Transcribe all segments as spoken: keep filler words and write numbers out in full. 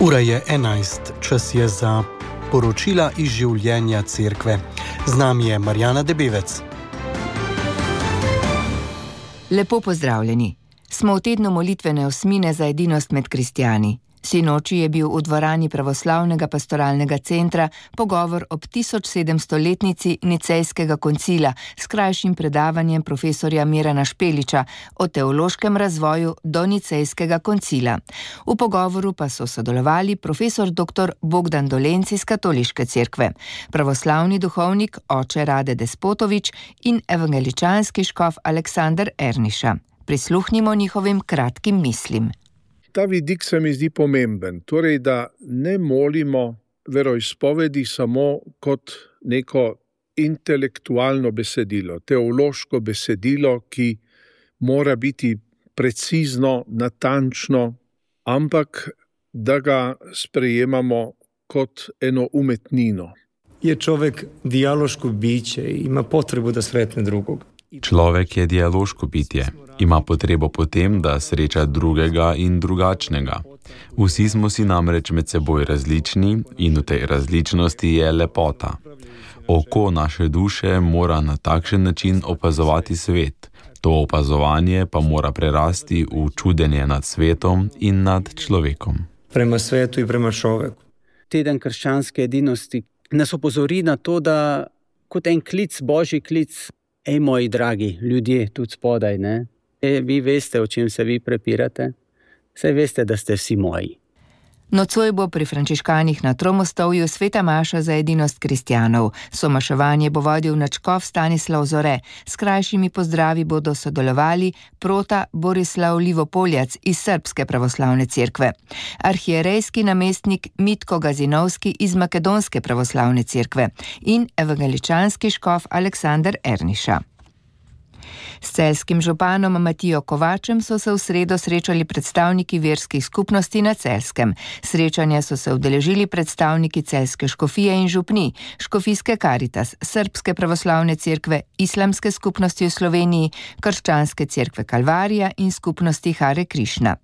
Ura je enajst, čas je za poročila iz življenja cerkve. Z nami je Marjana Debevec. Lepo pozdravljeni. Smo v tednu molitvene osmine za edinost med kristjani. Sinoči je bil v dvorani Pravoslavnega pastoralnega centra pogovor ob tisoč sedemstoletnici Nicejskega koncila s krajšim predavanjem profesorja Mirana Špeliča o teološkem razvoju do Nicejskega koncila. V pogovoru pa so sodelovali profesor doktor Bogdan Dolenc iz Katoliške cerkve, pravoslavni duhovnik oče Rade Despotovič in evangeličanski škof Aleksander Erniša. Prisluhnimo njihovim kratkim mislim. Ta vidik se mi zdi pomemben, torej da ne molimo veroizpovedi samo kot neko intelektualno besedilo, teološko besedilo, ki mora biti precizno, natančno, ampak da ga sprejemamo kot eno umetnino. Je čovjek dijaloško biće, ima potrebu da sretne drugog. Človek je dialoško bitje, ima potrebo po tem, da sreča drugega in drugačnega. Vsi smo si namreč med seboj različni in v tej različnosti je lepota. Oko naše duše mora na takšen način opazovati svet. To opazovanje pa mora prerasti v čudenje nad svetom in nad človekom. Prema svetu in prema človeku. Teden krščanske edinosti nas opozori na to, da kot en klic, božji klic, ej, moji dragi ljudje, tudi spodaj, ne? E, vi veste, o čem se vi prepirate? Saj veste, da ste vsi moji. Nocoj bo pri frančiškanih na Tromostovju sveta maša za edinost kristjanov. Somaševanje bo vodil nadškof Stanislav Zore. S krajšimi pozdravi bodo sodelovali prota Borislav Livopoljac iz Srbske pravoslavne cerkve, arhierejski namestnik Mitko Gazinovski iz Makedonske pravoslavne cerkve in evangeličanski škof Aleksander Erniša. S celjskim županom Matijo Kovačem so se v sredo srečali predstavniki verskih skupnosti na Celjskem. Srečanja so se udeležili predstavniki celjske škofije in župni, škofijske Karitas, Srbske pravoslavne cerkve, islamske skupnosti v Sloveniji, krščanske cerkve Kalvarija in skupnosti Hare Krišna.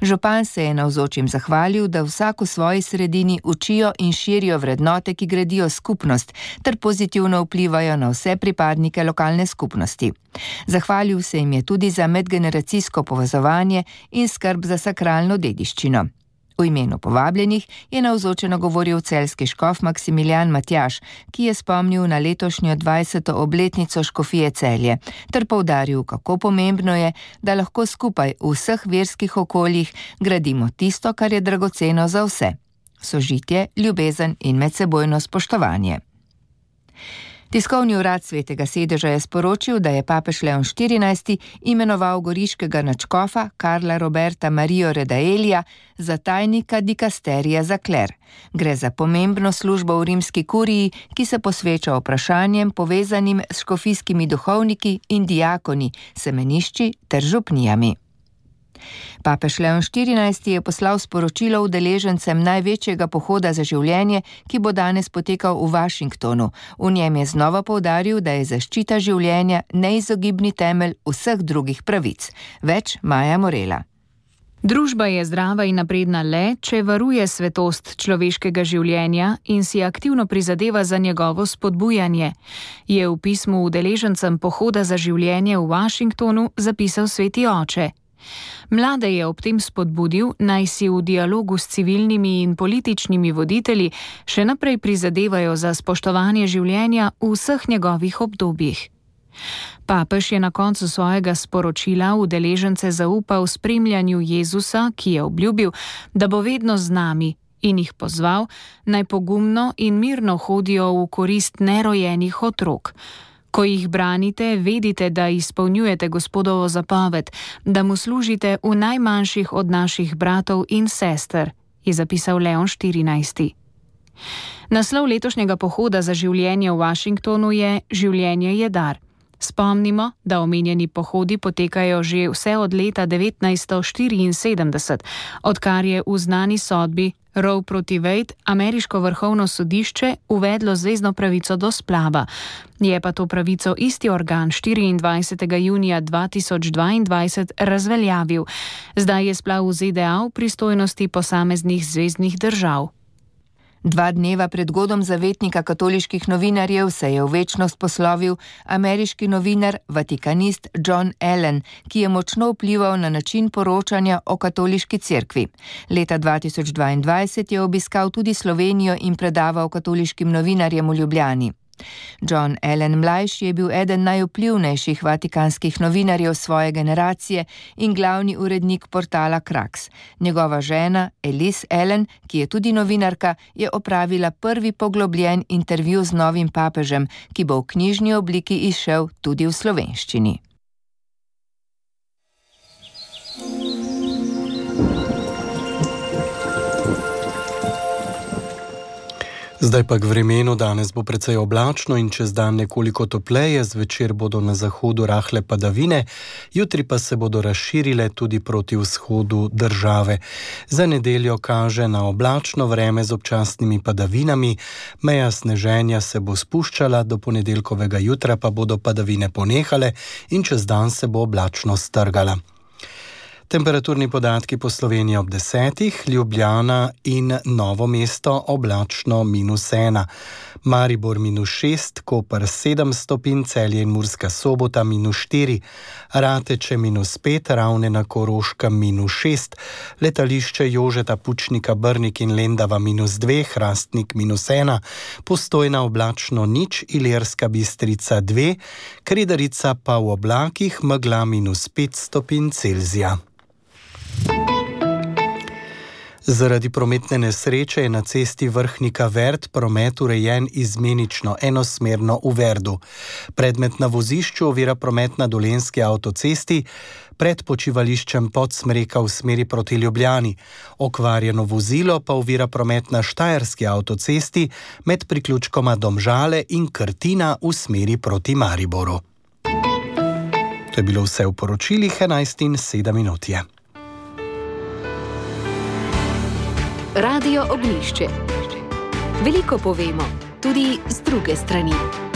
Župan se je navzočim zahvalil, da vsak v svoji sredini učijo in širijo vrednote, ki gradijo skupnost, ter pozitivno vplivajo na vse pripadnike lokalne skupnosti. Zahvalil se jim je tudi za medgeneracijsko povezovanje in skrb za sakralno dediščino. V imenu povabljenih je navzočeno govoril celjski škof Maksimilijan Matjaž, ki je spomnil na letošnjo dvajseto obletnico škofije Celje, ter poudaril, kako pomembno je, da lahko skupaj v vseh verskih okoljih gradimo tisto, kar je dragoceno za vse: sožitje, ljubezen in medsebojno spoštovanje. Tiskovni urad Svetega sedeža je sporočil, da je papež Leon štirinajsti imenoval goriškega nadškofa Karla Roberta Marijo Redaelija za tajnika dikasterija za kler. Gre za pomembno službo v rimski kuriji, ki se posveča vprašanjem povezanim s škofijskimi duhovniki in diakoni, semenišči ter župnijami. Papež Leon štirinajsti je poslal sporočilo udeležencem največjega pohoda za življenje, ki bo danes potekal v Washingtonu. V njem je znova poudaril, da je zaščita življenja neizogibni temelj vseh drugih pravic. Več Maja Morela. Družba je zdrava in napredna le, če varuje svetost človeškega življenja in si aktivno prizadeva za njegovo spodbujanje, je v pismu udeležencem pohoda za življenje v Washingtonu zapisal sveti oče. Mlade je ob tem spodbudil, naj si v dialogu s civilnimi in političnimi voditelji še naprej prizadevajo za spoštovanje življenja v vseh njegovih obdobjih. Papež je na koncu svojega sporočila udeležence zaupal spremljanju Jezusa, ki je obljubil, da bo vedno z nami, in jih pozval, naj pogumno in mirno hodijo v korist nerojenih otrok. Ko jih branite, vedite, da izpolnjujete Gospodovo zapoved, da mu služite v najmanjših od naših bratov in sester, je zapisal Leon štirinajsti. Naslov letošnjega pohoda za življenje v Washingtonu je Življenje je dar. Spomnimo, da omenjeni pohodi potekajo že vse od leta devetnajststo štiriinsedemdeset, odkar je v znani sodbi Roe proti Wade ameriško vrhovno sodišče uvedlo zvezno pravico do splava. Je pa to pravico isti organ štiriindvajsetega junija dva tisoč dvaindvajset razveljavil. Zdaj je splav v Z D A v pristojnosti posameznih zveznih držav. Dva dneva pred godom zavetnika katoliških novinarjev se je v večnost poslovil ameriški novinar, vatikanist John Allen, ki je močno vplival na način poročanja o katoliški cerkvi. Leta dva tisoč dvaindvajset je obiskal tudi Slovenijo in predaval katoliškim novinarjem v Ljubljani. John Allen mlajši je bil eden najvplivnejših vatikanskih novinarjev svoje generacije in glavni urednik portala Krax. Njegova žena, Elise Allen, ki je tudi novinarka, je opravila prvi poglobljen intervju z novim papežem, ki bo v knjižni obliki izšel tudi v slovenščini. Zdaj pa k vremenu. Danes bo precej oblačno in čez dan nekoliko topleje, zvečer bodo na zahodu rahle padavine, jutri pa se bodo razširile tudi proti vzhodu države. Za nedeljo kaže na oblačno vreme z občasnimi padavinami, meja sneženja se bo spuščala, do ponedeljkovega jutra pa bodo padavine ponehale in čez dan se bo oblačno strgala. Temperaturni podatki po Sloveniji ob desetih, Ljubljana in Novo mesto oblačno minus ena, Maribor minus šest, Koper sedem stopinj, Celje in Murska Sobota minus štiri, Rateče minus pet, Ravne na Koroškem minus šest, letališče Jožeta Pučnika Brnik in Lendava minus dve, Hrastnik minus ena, Postojna oblačno nič, Ilirska Bistrica dve, Kredarica pa v oblakih, megla minus pet stopinj Celzija. Zaradi prometne nesreče je na cesti Vrhnika-Verd promet urejen izmenično enosmerno v Verdu. Predmet na vozišču ovira promet na Dolenjski avtocesti pred počivališčem Podsmreka v smeri proti Ljubljani. Okvarjeno vozilo pa ovira promet na Štajerski avtocesti med priključkoma Domžale in Krtina v smeri proti Mariboru. To je bilo vse v poročilih, enajst in sedem minut je. Radio Ognjišče. Veliko povemo, tudi z druge strani.